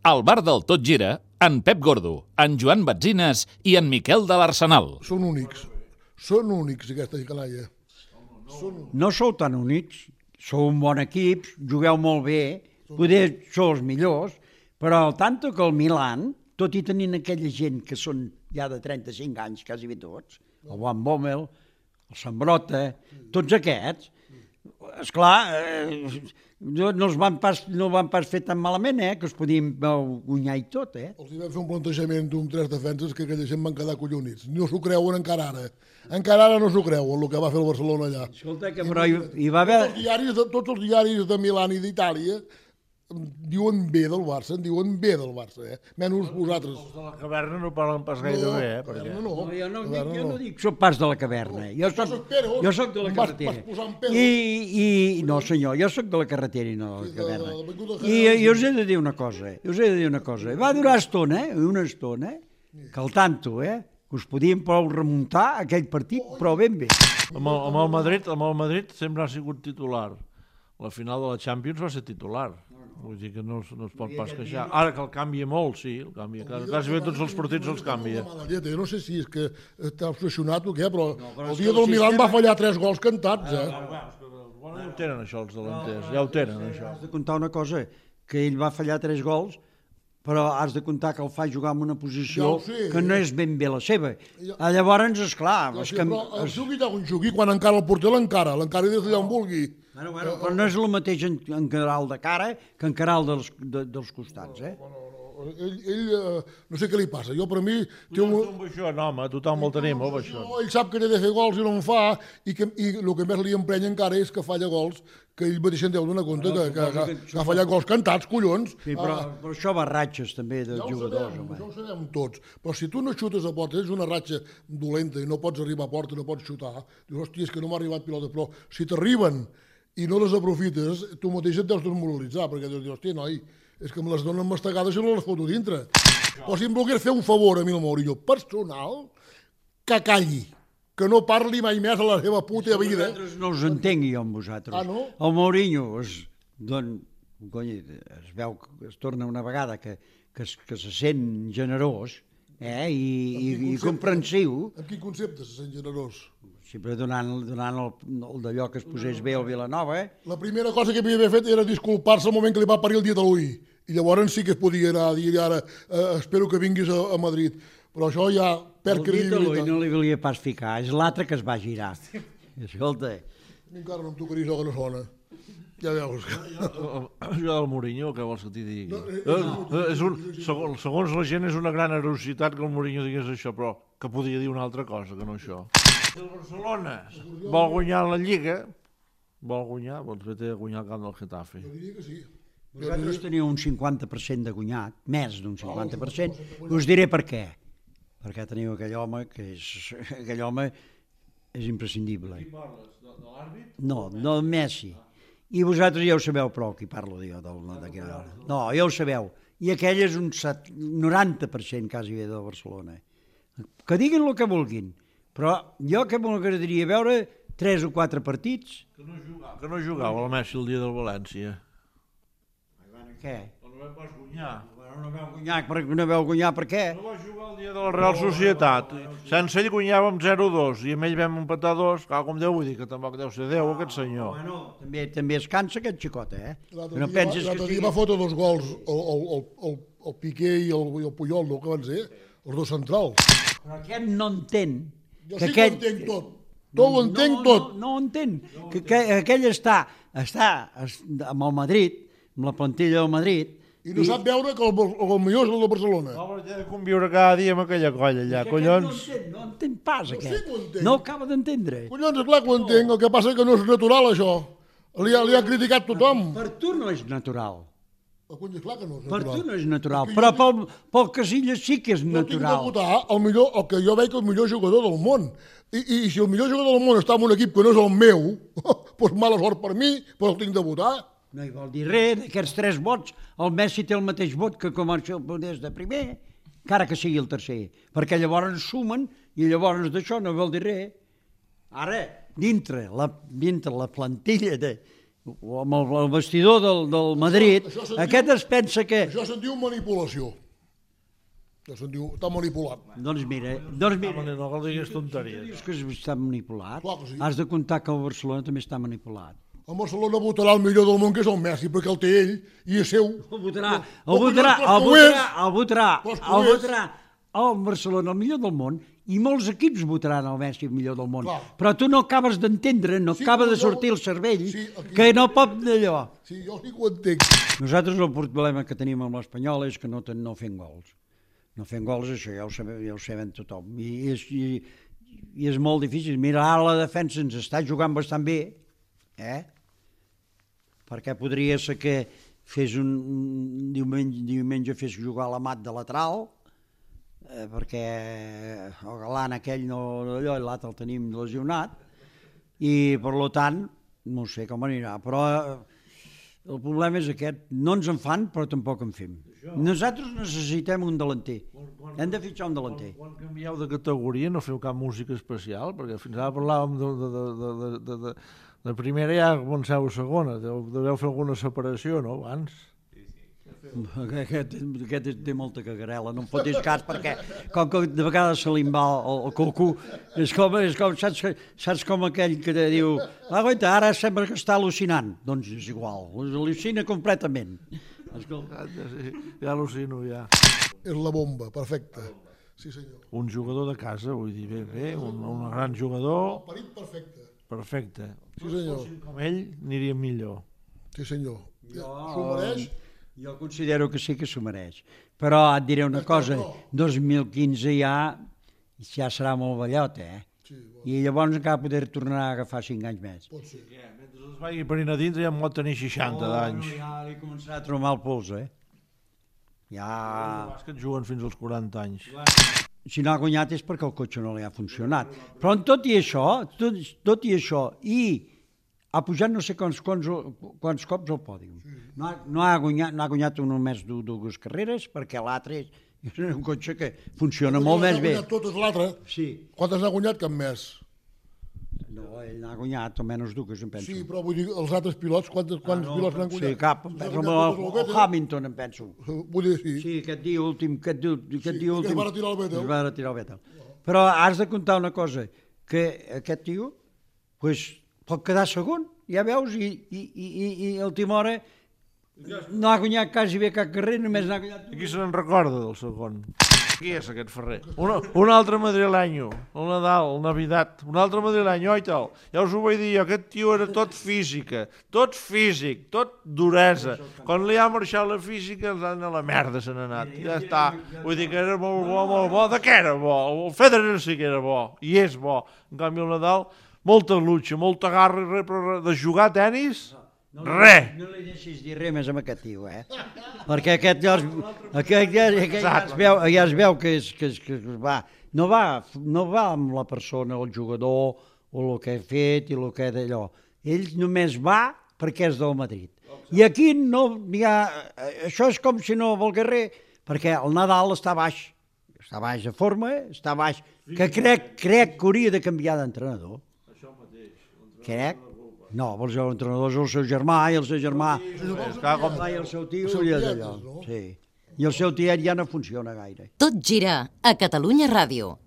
Al bar del Tot Gira, en Pep Gordo, en Joan Batzines i en Miquel de l'Arsenal. Són únics aquesta canalla. No sou tan únics, sou un bon equip, jugueu molt bé, poder sou els millors, però al tanto que el Milan, tot i tenint aquella gent que són ja de 35 anys, quasi bé tots, el Van Bommel, el Sambrota, tots aquests, esclar, no van pas fer tan malament, que es podien guanyar i tot, Els hi vam fer un plantejament d'un 3 defenses que aquella gent van quedar collonits. No s'ho creuen encara ara. Encara ara no s'ho creuen, el que va fer el Barcelona allà. Escolta, que però hi va haver... Tots els diaris de Milà i d'Itàlia diuen bé del Barça, menys vosaltres. Els de la caverna no parlen pas gaire bé, perquè... Jo no dic soc pas de la caverna, jo soc de la carretera. No senyor, jo soc de la carretera i no de la caverna. I us he de dir una cosa, va durar una estona, que al tanto, que us podíem prou remuntar aquell partit, però ben bé. Amb el Madrid sempre ha sigut titular. La final de la Champions va ser titular. Vull dir que no es pot pas queixar. Ara que el canvia molt, sí, el canvia. Quasi bé tots els partits els canvia. Jo no sé si és que està obsessionat o què, però el dia del Milan va fallar 3 gols cantats, Ja ho tenen, això, els delanters. Ja ho tenen, això. Has de comptar una cosa, que ell va fallar 3 gols, però has de comptar que el fa jugar en una posició que no és ben bé la seva. Llavors, esclar... Però el jugui d'on jugui, quan encara el porter l'encara des d'allà on vulgui. Però no és el mateix encarar el de cara que encarar el dels costats, Ell, no sé què li passa, jo per mi... Tothom el tenim, el baixó. Ell sap que té de fer gols i no en fa, i el que més li emprenya encara és que falla gols, que ell mateix en deu donar compte que ha fallat gols cantats, collons. Sí, però això va ratxes també dels jugadors. Ja ho sabem tots, però si tu no xutes a porta, és una ratxa dolenta i no pots arribar a porta, no pots xutar, dius, hòstia, és que no m'ha arribat pilota, però si t'arriben i no les aprofites, tu mateix et deus desmoralitzar, perquè dius, hòstia, noi, és que me les donen mastegades i no les foto dintre. O si em volgués fer un favor a mi el Mourinho personal, que calli, que no parli mai més a la seva puta vida. No us entengui jo amb vosaltres. No? El Mourinho es veu que es torna una vegada que se sent generós i comprensiu. En quin concepte se sent generós? Sempre donant el d'allò que es posés bé al Vilanova. La primera cosa que havia d'haver fet era disculpar-se al moment que li va parir el dia de l'ull. I llavors sí que es podia anar a dir ara espero que vinguis a Madrid. Però això ja perd credibilitat. El dia de l'ull no li volia pas ficar, és l'altre que es va girar. Escolta. Encara no em tocaria això que no sona. Ja veus. Jo del Mourinho, què vols que t'hi digui? Segons la gent és una gran erositat que el Mourinho digués això, però que podia dir una altra cosa que no això. Si el Barcelona vol guanyar la Lliga, vol fer de guanyar el camp del Getafe. Jo diria que sí. Vosaltres teniu un 50% de guanyat, més d'un 50%, i us diré per què. Perquè teniu aquell home que és imprescindible. Qui parles? De l'àrbit? No, del Messi. I vosaltres ja ho sabeu prou, qui parlo jo. No, ja ho sabeu. I aquell és un 90% quasi bé del Barcelona. Que diguin el que vulguin, però jo que m'agradaria veure 3 o 4 partits. Que no jugava el Messi el dia del València. Què? No vam pas guanyar. No vau guanyar per què? No va jugar el dia de la Real Societat. Sense ell guanyàvem 0-2 i amb ell vam empatar 2. Com Déu, vull dir que tampoc deu ser Déu aquest senyor. També es cansa aquest xicot, L'altre dia va fotre 2 gols el Piqué i el Puyol, no, que van ser els 2 centrals. Però aquest no entén. Jo sí que ho entenc tot. Ho entenc tot. No ho entén. Que aquell està amb el Madrid, amb la plantilla del Madrid, i no sap veure que el millor és el de Barcelona. Home, té de conviure cada dia amb aquella colla allà, collons. No entén pas, aquest. No acaba d'entendre. Collons, és clar que ho entenc, el que passa és que no és natural, això. Li ha criticat tothom. Per tu no és natural. És clar que no és Per natural. tu no és natural, però pel Casillas sí que és natural. Jo tinc de votar el que jo veig el millor jugador del món. I si el millor jugador del món està en un equip que no és el meu, doncs mala sort per mi, però el tinc de votar. No hi vol dir res, d'aquests 3 vots, el Messi té el mateix vot que comença des de primer, encara que sigui el tercer, perquè llavors sumen i llavors d'això no vol dir res. Ara, dintre la plantilla o amb el vestidor del Madrid, aquest es pensa que... Això se'n diu manipulació. Això se'n diu, està manipulat. Doncs mira, No cal dir tonteries. dius que està manipulat. Clar que sí. Has de comptar que el Barcelona també està manipulat. El Barcelona votarà el millor del món, que és el Messi, perquè el té ell i és seu. El Barcelona el millor del món i molts equips votaran el Messi el millor del món. Clar. Però tu no acabes d'entendre, no Sí, acaba de jo- sortir el cervell, Sí, aquí- que no pot d'allò. Sí, jo sí que ho entenc. Nosaltres el problema que tenim amb l'Espanyol és que no fem gols. No fem gols, això ja ho sabem tothom. I és molt difícil. Mira, ara la defensa ens està jugant bastant bé, perquè podria ser que fes un diumenge fes jugar l'Amat de lateral, perquè el galant aquell allò, l'altre el tenim lesionat, i per tant, no sé com anirà, però el problema és aquest, no ens en fan però tampoc en fem. Nosaltres necessitem un delanter, hem de fitxar un delanter. Quan canvieu de categoria no feu cap música especial? Perquè fins ara parlàvem de primera i ja comenceu a segona, deveu fer alguna separació, no, abans? Aquest té molta cagarela, no em fotis cas perquè com que de vegades se li en va el coco, és com saps com aquell que te diu aguanta, ara sembla que està al·lucinant, doncs és igual, al·lucina completament. Ja al·lucino, ja. És la bomba, perfecte. Sí, senyor. Un jugador de casa, vull dir, bé, un gran jugador, Parit perfecte. perfecte. Sí, senyor. Com ell, aniria millor. Sí, senyor. S'ho mereix. Jo considero que sí que s'ho mereix. Però et diré una cosa, 2015 ja serà molt vellot, I llavors encara poder tornar a agafar 5 anys més. Pot ser. Mentre es vagi per a dintre ja en pot tenir 60 d'anys. Ja li començarà a trobar el pols, Ja... És que et juguen fins als 40 anys. Si no ha guanyat és perquè el cotxe no li ha funcionat. Però tot i això, i ha pujat no sé quants cops al pòdium. No ha guanyat només dues carreres, perquè l'altre és un cotxe que funciona molt més bé. Ha guanyat totes l'altre. Sí. Quantes n'ha guanyat? Cap més. No, ell n'ha guanyat almenys dues, em penso. Sí, però vull dir, els altres pilots, quants pilots n'han guanyat? Sí, cap, em penso, el Hamilton, em penso. Vull dir, sí. Sí, aquest dia últim. Que es va retirar el Vettel. Es va retirar el Vettel. Però has de comptar una cosa, que aquest tio pot quedar segon, ja veus, i el Timora no ha guanyat quasi bé cap carrer, només n'ha guanyat... Qui se n'en recorda del segon? Qui és aquest ferrer? Un altre madrilenyo, el Nadal, el Navidad, un altre madrilenyo, oi tal? Ja us ho vaig dir, aquest tio era tot física, tot físic, tot duresa. Quan li ha marxat la física, a la merda se n'ha anat. Ja està. Vull dir que era molt bo. De què era bo? El Federer sí que era bo, i és bo. En canvi el Nadal, molta lucha, molta garra, però de jugar a tenis... Res! No li deixis dir res més amb aquest tio, Perquè aquest ja es veu que no va amb la persona, el jugador, o el que ha fet i el que d'allò. Ell només va perquè és del Madrid. I aquí no hi ha... Això és com si no volgués res, perquè el Nadal està baix de forma, està baix, que crec que hauria de canviar d'entrenador. Això mateix. Crec. No, el seu entrenador és el seu germà, i el seu germà... I el seu tio, i allò. Sí. I el seu tiet ja no funciona gaire. Tot gira a Catalunya Ràdio.